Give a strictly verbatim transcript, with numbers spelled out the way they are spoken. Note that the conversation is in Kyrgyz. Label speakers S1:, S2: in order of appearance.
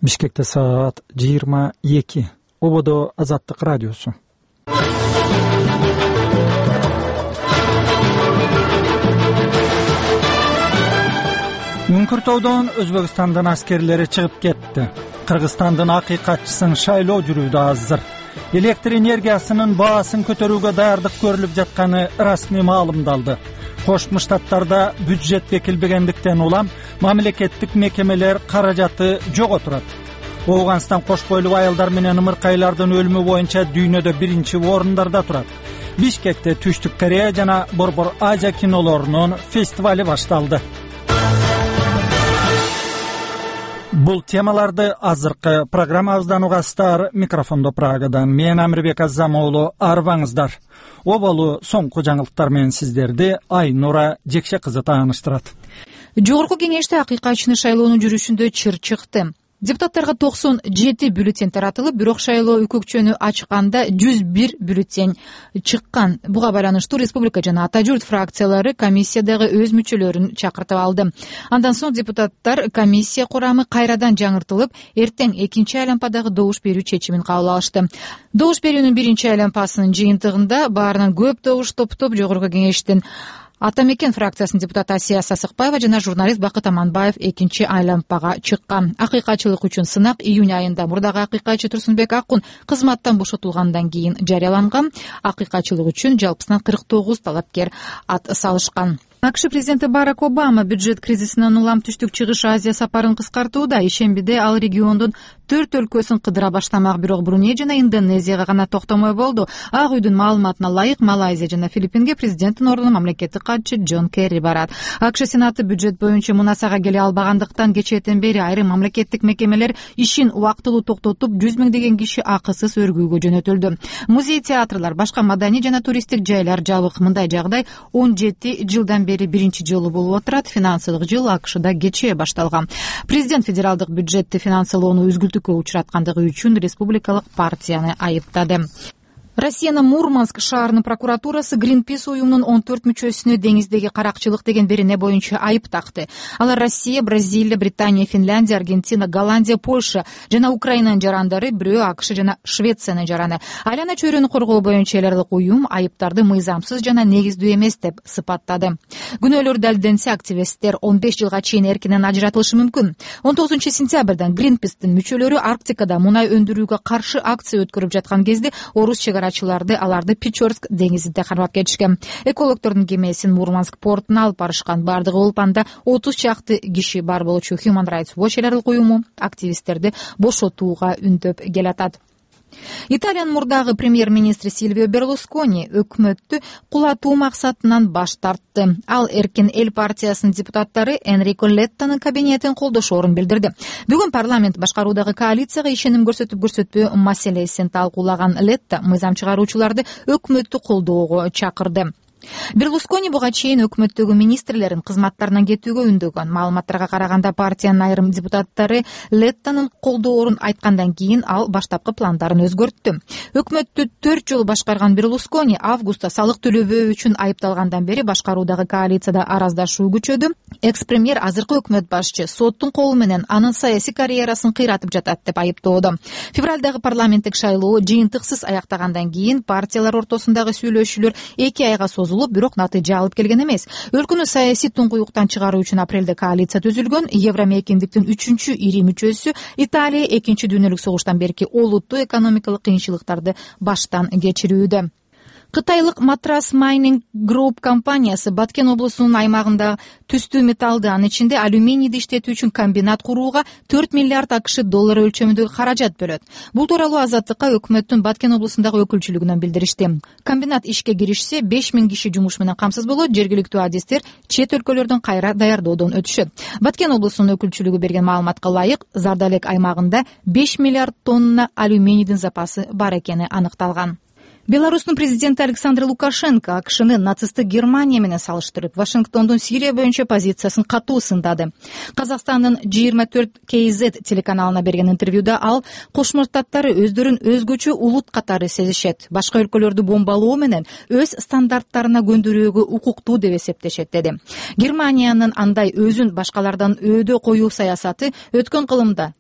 S1: Бишкекте саат жыйырма эки. Ободо Азаттык радиосу. Үңкүртөдөн Өзбекстандын аскерлери чыгып кетти. Кыргызстандын акыйкатчысын шайлоо жүрүүдө азыр. Электр энергиясынын баасын көтөрүүгө даярдык көрүлүп жатканы расмий маалымдалды. Кошмо Штаттарда бюджет бекилбегендиктен улам мамлекеттик мекемелер каражаты жоготурат. Ооганстан кош бойлуу аялдар менен ымыркайлардын өлүмү боюнча дүйнөдө биринчи орундарда турат. Бишкекте Түштүк Корея жана Борбор Азия кинолорунун фестивали башталды. Бул темаларды азыркы программабыздан угасыздар. Микрофондо Прагадан мен Амирбек Азамоğlu, арбаңыздар. Оболу соңку жаңылыктар менен сиздерди Айнура Жекше кызы тааныштырат.
S2: Жогорку кеңеште акыйкатчыны шайлоонун жүрүшүндө чыр чыкты. Депутаттарга токсон жети бюллетень таратылып, бирок шайлоо өкөкчөнү ачканда жүз бир бюллетень чыккан. Буга байланыштуу республика жана ата журт фракциялары комиссиядагы өз мүчөлөрүн чакыртып алды. Андан соң депутаттар комиссия курамы кайрадан жаңыртылып, эртең экинчи айлампадагы добуш берүү чечимин кабыл алышты. Добуш берүүнүн биринчи айлампасынын жыйынтыгында баарынан көп добуш топтоп жогорку кеңештин Ата мекен фракциясынын депутаты Асия Сасыкбаева жана журналист Бакыт Аманбаев экинчи айлампага чыккан. Акыйкатчылык үчүн сынак июнь айында мурдагы акыйкатчы Турсунбек Акун кызматтан бошотулгандан кийин жарыяланган. Акыйкатчылык үчүн жалпысынан кырк тогуз талапкер ат салышкан. АКШ президенти Барак Обама бюджет кризисинен улам Түштүк Чыгыш Азия сапарын кыскартууда. Ишембиде ал региондун төрт өлкөсүн кыдыра баштамак, бирок Бруней жана Индонезияга гана токтомой болду. Ак үйдүн маалыматына ылайык Малайзия жана Филиппинге президенттин ордуна мамлекеттик катчы Джон Керри барат. АКШ Сенаты бюджет боюнча мунасага келе албагандыктан кечээден бери айрым мамлекеттик мекемелер ишин убактылуу токтотуп, жүз миңдеген киши акысыз өргүүгө жөнөтүлдү. Музей, театрлар, башка маданий жана туристтик жайлар жабык. Мындай жагдай он жети жылдан бери биринчи жолу болуп отурат. Финансылык жыл АКШда кечээ башталган. Президент федералдык бюджетти финансылоону үзгүлтүккө учураткандыгы үчүн республикалык партияны айыптады. Россиянын Мурманск шаарынын прокуратурасы Greenpeace уюмунун он төрт мүчөсүнө деңиздеги каракчылык деген берене боюнча айып такты. Алар Россия, Бразилия, Британия, Финляндия, Аргентина, Голландия, Польша жана Украинанын жарандары, бирөө АКШ жана Швециянын жараны. Айлана чөйрөнү коргоо боюнча эл аралык уюм айыптарды мыйзамсыз жана негиздүү эмес деп сыпаттады. Күнөөлөр далилденсе, активисттер он беш жылга чейин эркинен ажыратылышы мүмкүн. он тогузунчу сентябрдан Greenpeace'тин мүчөлөрү Арктикада мунай өндүрүүгө каршы акция өткөрүп жаткан кезде орус чегара аларды Печорск деңизинде кармап кетишкен. Экологдордун кемесин Мурманск портуна алып барышкан. Бардыгы Улпанда отуз чакты киши бар болчу. Human Rights Watch эл аралык уюму активисттерди бошотууга үндөп келатат. Италиянын мурдагы премьер-министри Сильвио Берлускони өкмөттү кулатуу максатынан баш тартты. Ал Эркин эл партиясынын депутаттары Энрико Леттанын кабинетин колдошоорун билдирди. Бүгүн парламент башкаруудагы коалицияга ишеним көрсөтүп көрсөтпөө маселесин талкуулаган Летта мыйзам чыгаруучуларды өкмөттү колдоого чакырды. Берлускони буга чейин өкмөттөгү министрлерин кызматтарынан кетүүгө үндөгөн. Маалыматтарга караганда партиянын айрым депутаттары Леттанын колдоорун айткандан кийин ал баштапкы пландарын өзгөрттү. Өкмөттү төрт жолу башкарган Берлускони августта салык төлөбөө үчүн айыпталгандан бери башкаруудагы коалицияда араздашуу күчөдү. Экс-премьер азыркы өкмөт башчы соттун колу менен анын саясий карьерасын кыйратып жатат деп айыптоодо. Февралдагы парламенттик шайлоо жыйынтыксыз аяктагандан кийин партиялар ортосундагы сүйлөшүүлөр эки айга созулуп, бирок натыйжа алып келген эмес. Өлкөнү саясий туңкуюктан чыгаруу үчүн апрелде коалиция түзүлгөн. Евромейкиндиктин үчүнчү ири мүчөсү Италия экинчи дүйнөлүк согуштан берки олуттуу экономикалык кыйынчылыктарды баштан кечирүүдө. Кытайлык Матрас Майнинг Групп компаниясы Баткен облусунун аймагында түстүү металлды, анын ичинде алюминийди иштетүү үчүн комбинат курууга төрт миллиард акш доллары өлчөмүндөгү каражат бөлөт. Бул тууралуу Азаттыкка өкмөттүн Баткен облусундагы өкүлчүлүгүнөн билдиришти. Комбинат ишке киришсе беш миң киши жумуш менен камсыз болот. Жергиликтүү адистер чет өлкөлөрдөн кайра даярдоодон өтүшөт. Баткен облусунун өкүлчүлүгү берген маалыматка ылайык, Зардалек аймагында беш миллиард тонна алюминийдин запасы бар экени аныкталган. Беларустун президенти Александр Лукашенко АКШны нацисттик Германия менен салыштырып, Вашингтондун Сирия боюнча позициясын катуу сындады. Казакстандын жыйырма төрт кей зет телеканалына берген интервьюда ал Кошмо Штаттары өздөрүн өзгөчө улут катары сезишет, башка өлкөлөрдү бомбалоо менен өз стандарттарына көндүрүүгө укуктуу деп эсептешет деди. Германиянын андай өзүн башкалардан өйдө коюу саясаты өткөн кылымда